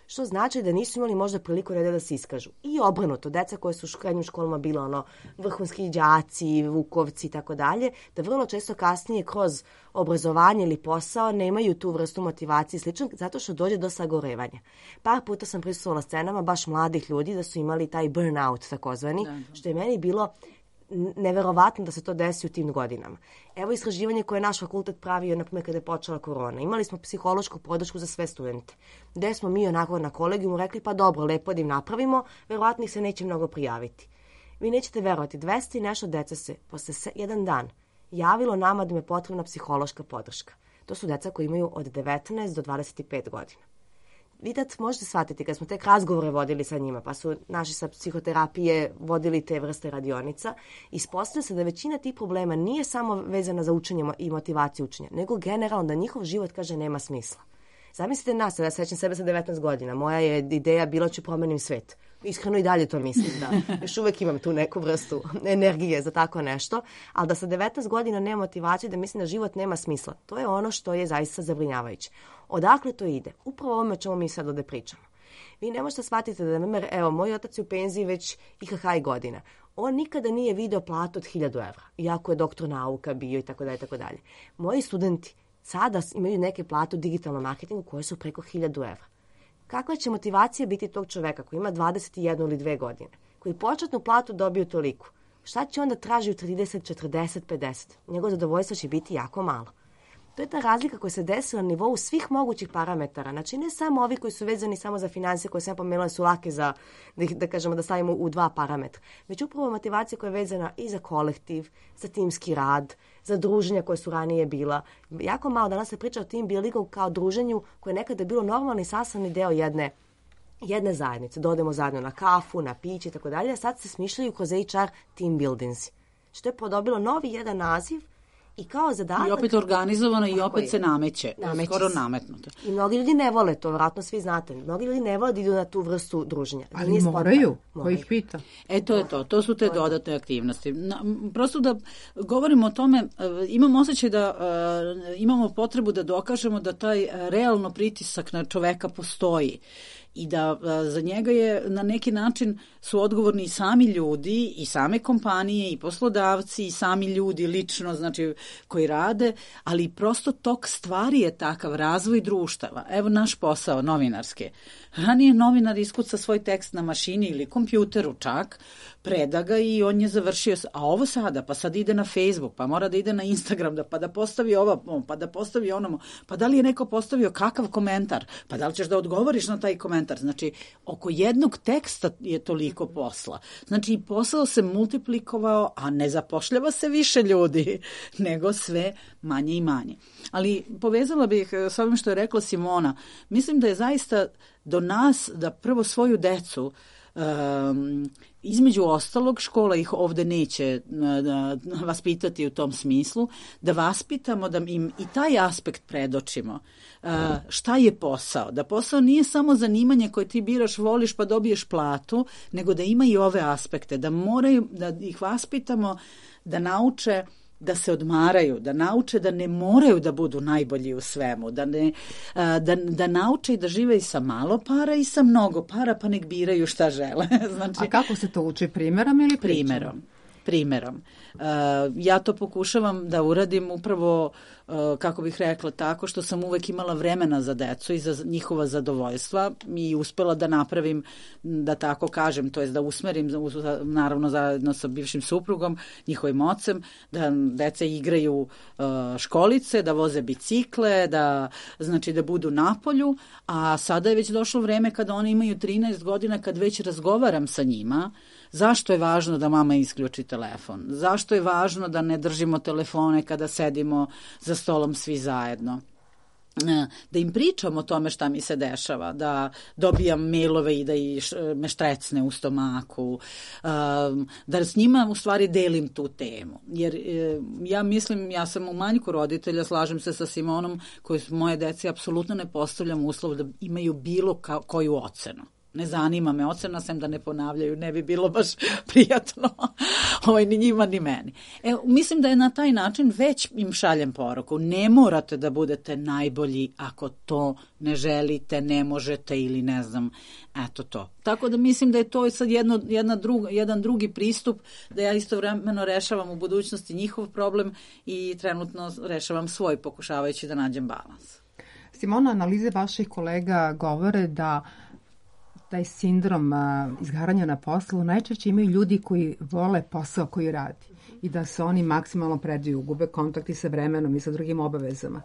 Što znači da nisu imali možda priliku da se iskažu. I obrnuto, deca koje su u srednjim školama bila ono vrhunski đaci, vukovci i tako dalje, da vrlo često kasnije kroz obrazovanje ili posao nemaju tu vrstu motivacije i slično, zato što dođe do sagorevanja. Par puta sam prisustvovala scenama baš mladih ljudi da su imali taj burnout takozvani, da, da. Što je meni bilo neverovatno da se to desi u tim godinama. Evo istraživanje koje je naš fakultet pravio, na primjer, kada je počela korona. Imali smo psihološku podršku za sve studente. Gde smo mi onako na kolegijumu rekli, pa dobro, lepo da im napravimo, verovatno ih se neće mnogo prijaviti. Vi nećete verovati, dvesta i nešto deca se posle jedan dan javilo nama da im je potrebna psihološka podrška. To su deca koji imaju od devetnaest do dvadeset pet godina. Vi tad možete shvatiti, kad smo tek razgovore vodili sa njima, pa su naši sa psihoterapije vodili te vrste radionica, ispostavlja se da većina tih problema nije samo vezana za učenje i motivaciju učenja, nego generalno da njihov život, kaže, nema smisla. Zamislite nas, ja sećam sebe sa devetnaest godina, moja je ideja bila ću promenim svet. Iskreno i dalje to mislim, da još uvek imam tu neku vrstu energije za tako nešto, ali da sa devetnaest godina nema motivaciju, da mislim da život nema smisla. To je ono što je zaista zabrinjavajuće. Odakle to ide? Upravo ovome o čemu mi sad ovde pričamo. Vi ne možete shvatiti da, na primjer, evo, moj otac je u penziji već I H H godina. On nikada nije video platu od hiljadu evra, iako je doktor nauka bio i tako dalje, tako dalje. Moji studenti sada imaju neke plate u digitalnom marketingu koje su preko hiljadu evra. Kakva će motivacija biti tog čoveka koji ima dvadeset jednu ili dve godine, koji početnu platu dobiju toliko? Šta će onda traži u trideset, četrdeset, pedeset? Njegovo zadovoljstvo će biti jako malo. To je ta razlika koja se desila na nivou svih mogućih parametara. Znači, ne samo ovi koji su vezani samo za financije, koje sam pomenula su lake za, da, da kažemo, da stavimo u dva parametra. Već upravo motivacija koja je vezana i za kolektiv, za timski rad, za druženja koje su ranije bila. Jako malo danas se priča o team buildingu kao druženju koje je nekada bilo normalni sastavni deo jedne, jedne zajednice. Dodemo zajedno na kafu, na piće i tako dalje, a sad se smišljaju kroz H R team buildings. Što je podobilo novi jedan naziv I kao zadatak... I opet organizovano i opet je. se nameće. Nameće skoro se. nametnuto. I mnogi ljudi ne vole to, vjerojatno svi znate. Mnogi ljudi ne vole da idu na tu vrstu druženja. Ali Nije moraju, spontano. ko ih pita. E, to je to. To su te dodatne aktivnosti. Na, prosto da govorimo o tome, e, imam osjećaj da e, imamo potrebu da dokažemo da taj e, realno pritisak na čoveka postoji i da a, za njega je na neki način su odgovorni i sami ljudi i same kompanije i poslodavci i sami ljudi lično, znači koji rade, ali prosto tok stvari je takav razvoj društava. Evo naš posao novinarski. Ranije novinar iskuca svoj tekst na mašini ili kompjuteru čak, preda ga i on je završio. A ovo sada, pa sad ide na Facebook, pa mora da ide na Instagram, da, pa da postavi ovo, pa da postavi onomu, pa da li je neko postavio kakav komentar, pa da li ćeš da odgovoriš na taj komentar. Znači, oko jednog teksta je toliko posla. Znači, posao se multiplikovao, a ne zapošljava se više ljudi, nego sve manje i manje. Ali povezala bih s ovim što je rekla Simona. Mislim da je zaista do nas da prvo svoju decu Um, između ostalog, škola ih ovde neće uh, vaspitati u tom smislu, da vaspitamo, da im i taj aspekt predočimo. Uh, šta je posao? Da posao nije samo zanimanje koje ti biraš, voliš pa dobiješ platu, nego da ima i ove aspekte, da moraju, da ih vaspitamo, da nauče da se odmaraju, da nauče da ne moraju da budu najbolji u svemu, da, ne, da, da nauče i da žive i sa malo para i sa mnogo para, pa nek biraju šta žele. Znači, a kako se to uči, primerom ili pričom? Primerom. Primerom. Uh, ja to pokušavam da uradim upravo, uh, kako bih rekla, tako što sam uvek imala vremena za decu i za njihova zadovoljstva i uspela da napravim, da tako kažem, to jest da usmerim, naravno zajedno sa bivšim suprugom, njihovim ocem, da deca igraju uh, školice, da voze bicikle, da, znači, da budu na polju, a sada je već došlo vreme kada oni imaju trinaest godina, kad već razgovaram sa njima, zašto je važno da mama isključi telefon? Zašto je važno da ne držimo telefone kada sedimo za stolom svi zajedno? Da im pričam o tome šta mi se dešava, da dobijam mailove i da me štrecne u stomaku, da s njima u stvari delim tu temu. Jer ja mislim, ja sam u manjku roditelja, slažem se sa Simonom, koji moje deci apsolutno ne postavljam uslov da imaju bilo koju ocenu. Ne zanima me ocena, sem da ne ponavljaju, ne bi bilo baš prijatno ovaj, ni njima ni meni. E, mislim da je na taj način već im šaljem poruku. Ne morate da budete najbolji ako to ne želite, ne možete ili ne znam, eto to. Tako da mislim da je to sad jedno, jedna druga, jedan drugi pristup, da ja istovremeno rešavam u budućnosti njihov problem i trenutno rešavam svoj, pokušavajući da nađem balans. Simona, analize vaših kolega govore da taj sindrom a, izgaranja na poslu najčešće imaju ljudi koji vole posao koji radi i da se oni maksimalno predaju, gube kontakti sa vremenom i sa drugim obavezama.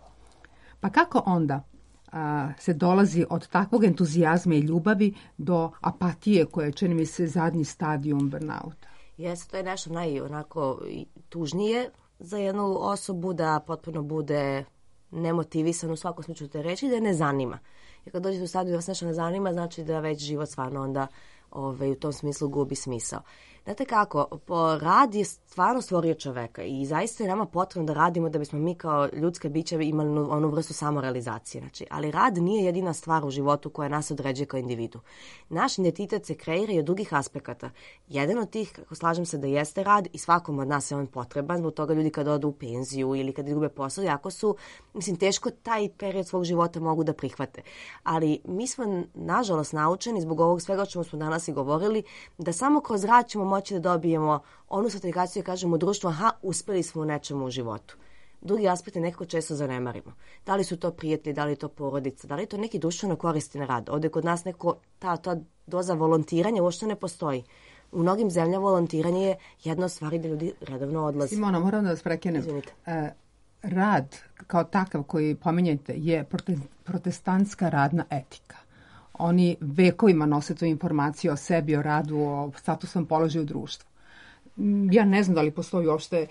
Pa kako onda a, se dolazi od takvog entuzijazma i ljubavi do apatije koja je, čini mi se, zadnji stadijum burnouta? Jeste, to je nešto naj onako tužnije za jednu osobu, da potpuno bude nemotivisan u svakom slučaju te reči, da je ne zanima. Jer kad dođete u stadiju da vas nešto ne zanima, znači da već život stvarno onda ove, u tom smislu gubi smisao. Znate kako, po rad je stvarno stvorio čoveka i zaista je nama potrebno da radimo da bismo mi kao ljudska bića imali onu vrstu samorealizacije. Znači, ali rad nije jedina stvar u životu koja nas određuje kao individu. Naš identitet se kreira i od drugih aspekata. Jedan od tih, kako slažem se da jeste rad i svakom od nas je on potreban, zbog toga ljudi kad odu u penziju ili kad izgube posao, jako su, mislim, teško taj period svog života mogu da prihvate. Ali mi smo, nažalost, naučeni zbog ovog svega o čemu smo danas i govorili, da samo kroz rad ćemo moći da dobijemo onu satisfakciju i kažemo u društvu, aha, uspeli smo u nečemu u životu. Drugi aspekt je nekako često zanemarimo. Da li su to prijatelji, da li je to porodica, da li je to neki društveno koristan rad. Ovdje kod nas neko, ta, ta doza volontiranja uopšte ne postoji. U mnogim zemljama volontiranje je jedna od stvari da ljudi redovno odlaze. Simona, moram da vas prekenem. E, rad kao takav koji pominjete je protestantska radna etika. Oni vekovima nose tu informaciju o sebi, o radu, o statusnom položaju u društvu. Ja ne znam da li postoji uopšte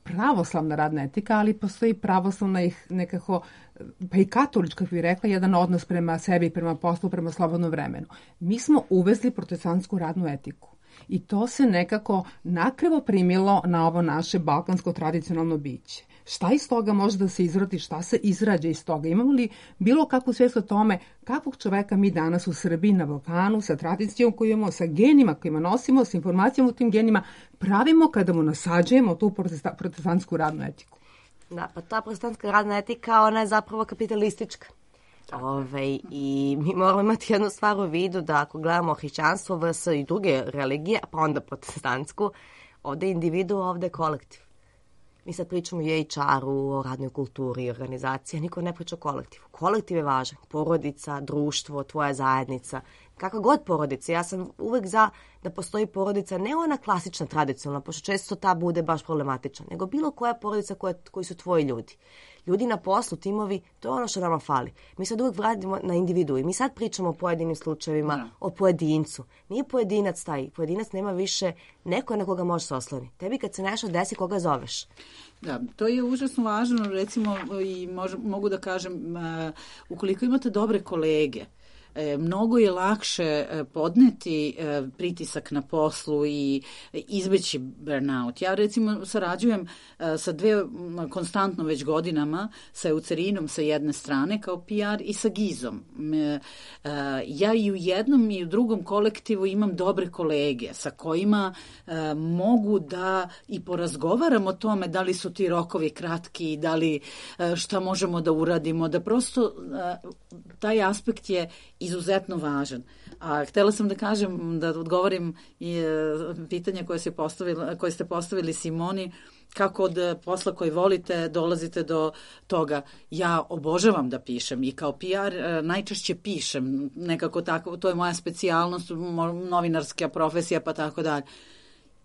pravoslavna radna etika, ali postoji pravoslavna ih nekako, pa i katolička, kako bih rekla, jedan odnos prema sebi, prema poslu, prema slobodnom vremenu. Mi smo uvezli protestantsku radnu etiku. I to se nekako nakrivo primilo na ovo naše balkansko tradicionalno biće. Šta iz toga može da se izrodi, šta se izrađa iz toga? Imamo li bilo kakvu svijest o tome kakvog čoveka mi danas u Srbiji na Balkanu sa tradicijom koju imamo, sa genima kojima nosimo, sa informacijama u tim genima pravimo kada mu nasađujemo tu protestantsku radnu etiku? Da, pa ta protestantska radna etika, ona je zapravo kapitalistička. Ove, I mi moramo imati jednu stvar u vidu da ako gledamo hrišćanstvo, vs i druge religije, pa onda protestantsku, ovde je individu, ovde je kolektiv. Mi sad pričamo o H R-u, o radnoj kulturi, organizaciji, a niko ne priča o kolektivu. Kolektiv je važan. Porodica, društvo, tvoja zajednica, kakva god porodica. Ja sam uvek za da postoji porodica, ne ona klasična, tradicionalna, pošto često ta bude baš problematična, nego bilo koja porodica koja, koji su tvoji ljudi. Ljudi na poslu, timovi, to je ono što nama fali. Mi sad uvek vratimo na individu i mi sad pričamo o pojedinim slučajevima, no. o pojedincu. Nije pojedinac taj, pojedinac nema više neko na koga može se osloni. Tebi kad se nešto desi, koga zoveš? Da, to je užasno važno, recimo, i mož, mogu da kažem, uh, ukoliko imate dobre kolege, E, mnogo je lakše podneti e, pritisak na poslu i izbeći burnout. Ja recimo sarađujem e, sa dve konstantno već godinama sa Eucerinom sa jedne strane kao P R i sa Gizom. E, e, ja i u jednom i u drugom kolektivu imam dobre kolege sa kojima e, mogu da i porazgovaram o tome da li su ti rokovi kratki, da li e, šta možemo da uradimo, da prosto e, taj aspekt je izuzetno važan. A htela sam da kažem, da odgovorim i e, pitanje koje, se postavili, koje ste postavili Simoni, kako od posla koji volite dolazite do toga. Ja obožavam da pišem i kao P R e, najčešće pišem, nekako tako, to je moja specijalnost, novinarska profesija pa tako dalje.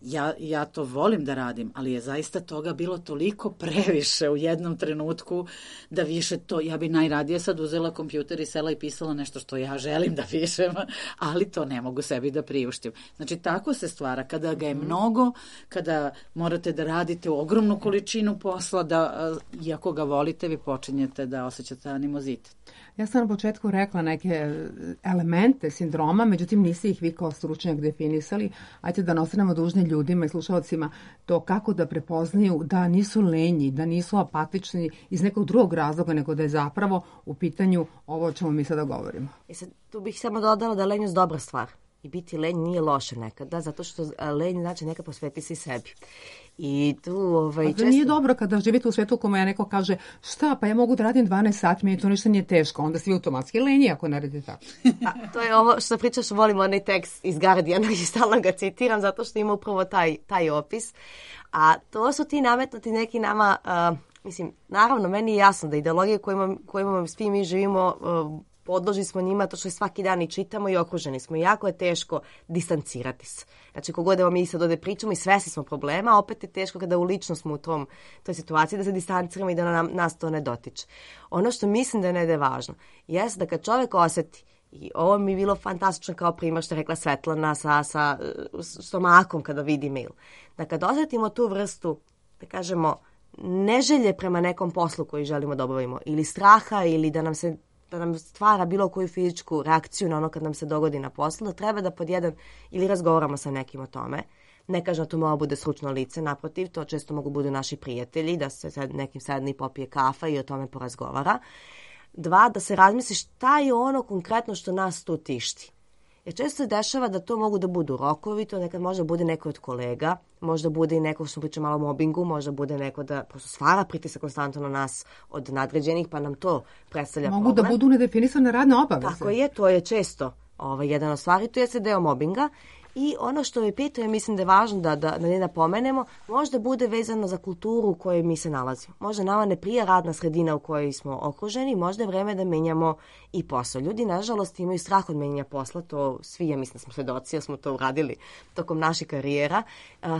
Ja, ja to volim da radim, ali je zaista toga bilo toliko previše u jednom trenutku da više to, ja bi najradije sad uzela kompjuter i sela i pisala nešto što ja želim da pišem, ali to ne mogu sebi da priuštim. Znači, tako se stvara. Kada ga je mnogo, kada morate da radite u ogromnu količinu posla, da, iako ga volite, vi počinjete da osjećate animozitet. Ja sam na početku rekla neke elemente sindroma, međutim niste ih vi kao stručnjak definisali. Ajde da ostanemo dužni ljudima i slušalcima to kako da prepoznaju da nisu lenji, da nisu apatični iz nekog drugog razloga, nego da je zapravo u pitanju ovo o čemu mi sada govorimo. I sad, tu bih samo dodala da je lenjost dobra stvar. I biti lenj nije loše nekada, zato što lenj znači neka posveti se sebi. I tu, ovaj, često... nije dobro kada živite u svetu u kome ja neko kaže šta, pa ja mogu da radim dvanaest sati, meni to ništa nije teško, onda svi automatski lenji ako ne radite tako. A, to je ovo što pričaš, volim onaj tekst iz Guardiana i stalno ga citiram zato što ima upravo taj, taj opis. A to su ti nametnuti neki nama, uh, mislim, naravno, meni je jasno da ideologije kojima, kojima svi mi živimo, uh, podložni smo njima, to što svaki dan i čitamo i okruženi smo. I jako je teško distancirati se. Znači, kogod evo mi sad ovde pričamo i svesni smo problema, opet je teško kada u lično smo u tom, toj situaciji da se distanciramo i da nam, nas to ne dotiče. Ono što mislim da je ne važno, jeste da kad čovek oseti, i ovo mi je bilo fantastično kao primjer što je rekla Svetlana sa, sa stomakom kada vidi mail, da kad osetimo tu vrstu, da kažemo, neželje prema nekom poslu koji želimo da obavimo, ili straha, ili da nam se da nam stvara bilo koju fizičku reakciju na ono kad nam se dogodi na poslu, da treba da pod jedan ili razgovaramo sa nekim o tome. Ne kažem da to mora bude stručno lice, naprotiv, to često mogu budu naši prijatelji, da se sad nekim sedne i popije kafa i o tome porazgovara. Dva, da se razmisli šta je ono konkretno što nas tu tišti. Jer često se dešava da to mogu da budu rokovi, to nekad može bude neko od kolega, možda bude i neko što priča malo o mobingu, možda bude neko da prosto stvara pritisak konstantno na nas od nadređenih, pa nam to predstavlja mogu problem. Mogu da budu nedefinisane radne obaveze. Tako je, to je često ovaj, jedan od stvari, to je se deo mobinga. I ono što mi pitao, mislim da je važno da, da, da ne napomenemo, možda bude vezano za kulturu u kojoj mi se nalazimo. Možda nama ne prija radna sredina u kojoj smo okruženi, možda je vreme da menjamo i posao. Ljudi, nažalost, imaju strah od menjanja posla, to svi, ja mislim da smo svedoci, ja smo to uradili tokom naših karijera.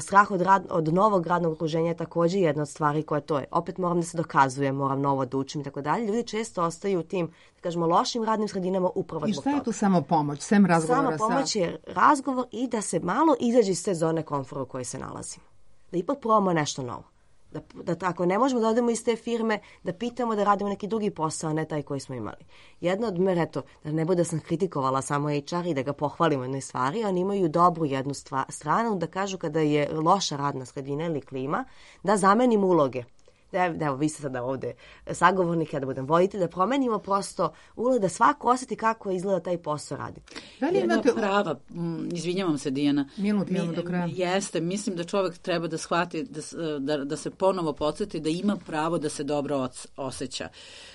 Strah od, rad, od novog radnog okruženja je također jedna od stvari koja to je. Opet moram da se dokazujem, moram novo da učim i tako dalje. Ljudi često ostaju u tim, da kažemo, lošim radnim sredinama upravo zbog toga. I šta je tu samo pomoć, sem razgovora? Samo pomoć je razgovor i da se malo izađe iz te zone komfora u kojoj se nalazimo. Da ipak probamo nešto novo. Da, da ako ne možemo da odemo iz te firme, da pitamo da radimo neki drugi posao, a ne taj koji smo imali. Jedna od mera, eto, da ne bude da sam kritikovala samo H R i da ga pohvalimo jednoj stvari, oni imaju dobru jednu stva, stranu, da kažu kada je loša radna sredina ili klima, da zamenimo uloge. Da, da, evo, vi ste sada ovde sagovornik, ja da budem voditelj, da promenimo prosto ulogu, da svako osjeti kako izgleda taj posao raditi. Da li imate prava, m, izvinjavam se Dijana. Minut, imamo do kraja. Jeste, mislim da čovjek treba da shvati, da, da, da se ponovo podsjeti da ima pravo da se dobro osjeća,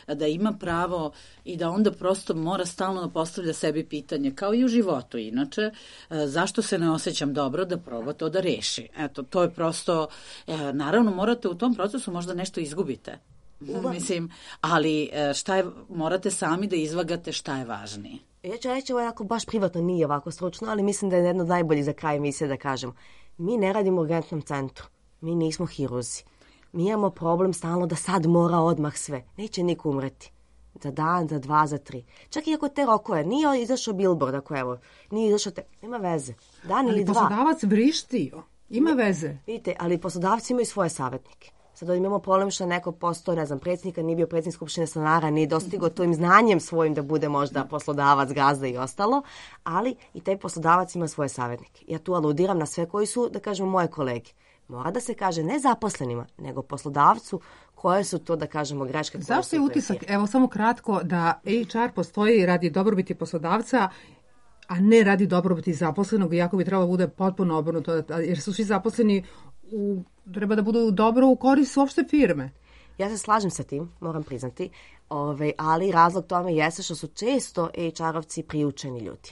da ima pravo i da onda prosto mora stalno da postavlja sebi pitanje, kao i u životu inače, zašto se ne osjećam dobro, da proba to da reši. Eto, to je prosto, naravno morate u tom procesu možda nešto izgubite. Uva. Mislim, ali šta je, morate sami da izvagate šta je važnije. Ja ću reći, ovo je jako baš privatno, nije ovako stručno, ali mislim da je jedno od najboljih za kraj emisije da kažem. Mi ne radimo u urgentnom centru, mi nismo hiruzi. Mi imamo problem stalno da sad mora odmah sve. Neće niko umreti. Za dan, za dva, za tri. Čak i ako te rokove, nije izašao billboard, ako evo, nije izašao te, nema veze. Dan ali ili dva. Ali poslodavac vrišti, ima veze. Vidite, ali poslodavci imaju svoje savjetnike. Sad imamo problem što neko postao, ne znam, predsjednika, nije bio predsjednik Skupštine stanara, nije dostigao tojim znanjem svojim da bude možda poslodavac, gazda i ostalo, ali i taj poslodavac ima svoje savjetnike. Ja tu aludiram na sve koji su, da kažemo, moje kolege. Mora da se kaže ne zaposlenima, nego poslodavcu koje su to, da kažemo, greške. Zašto je utisak, evo samo kratko, da H R postoji radi dobrobiti poslodavca, a ne radi dobrobiti zaposlenog, iako bi trebalo da bude potpuno obrnuto, jer su svi zaposleni u, treba da budu dobro u korist uopšte firme. Ja se slažem sa tim, moram priznati, ove, ali razlog tome jeste što su često H R-ovci priučeni ljudi.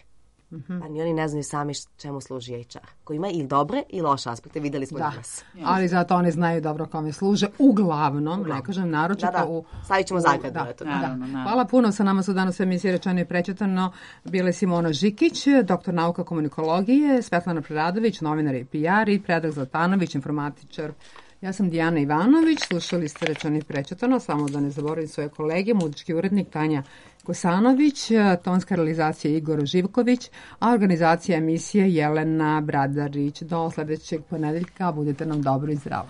Mm-hmm. Pa ni oni ne znaju sami čemu služi H R. Koji ima i dobre i loše aspekte, videli smo da. danas. Ali zato oni znaju dobro kome služe, uglavnom, uglavnom. ne kažem naročito. Da, da, u, stavit ćemo zagradu. Da, da, da. Da. Hvala puno, sa nama su danas u emisiji Rečeno i prečitano bile Simona Žikić, doktor nauka komunikologije, Svetlana Preradović, novinar i P R i Predrag Zlatanović, informatičar. Ja sam Dijana Ivanović, slušali ste Rečeno i prečitano, samo da ne zaboravim svoje kolege, muzički urednik Tanja Kosanović, tonska realizacija Igor Živković, a organizacija emisije Jelena Bradarić. Do sledećeg ponedeljka, budete nam dobro i zdravo.